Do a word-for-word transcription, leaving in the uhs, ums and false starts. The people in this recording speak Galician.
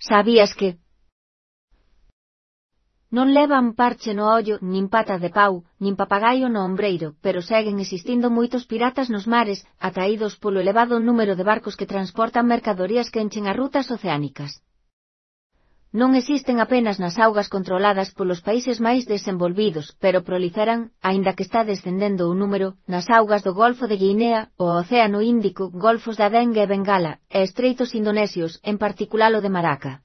Sabías que non levan parche no ollo, nin pata de pau, nin papagaio no ombreiro, pero seguen existindo moitos piratas nos mares, atraídos polo elevado número de barcos que transportan mercadorías que enchen as rutas oceánicas. Non existen apenas nas augas controladas polos países máis desenvolvidos, pero proliferan, aínda que está descendendo o número, nas augas do Golfo de Guinea, o Océano Índico, golfos de Adén e Bengala, e estreitos indonesios, en particular o de Malaca.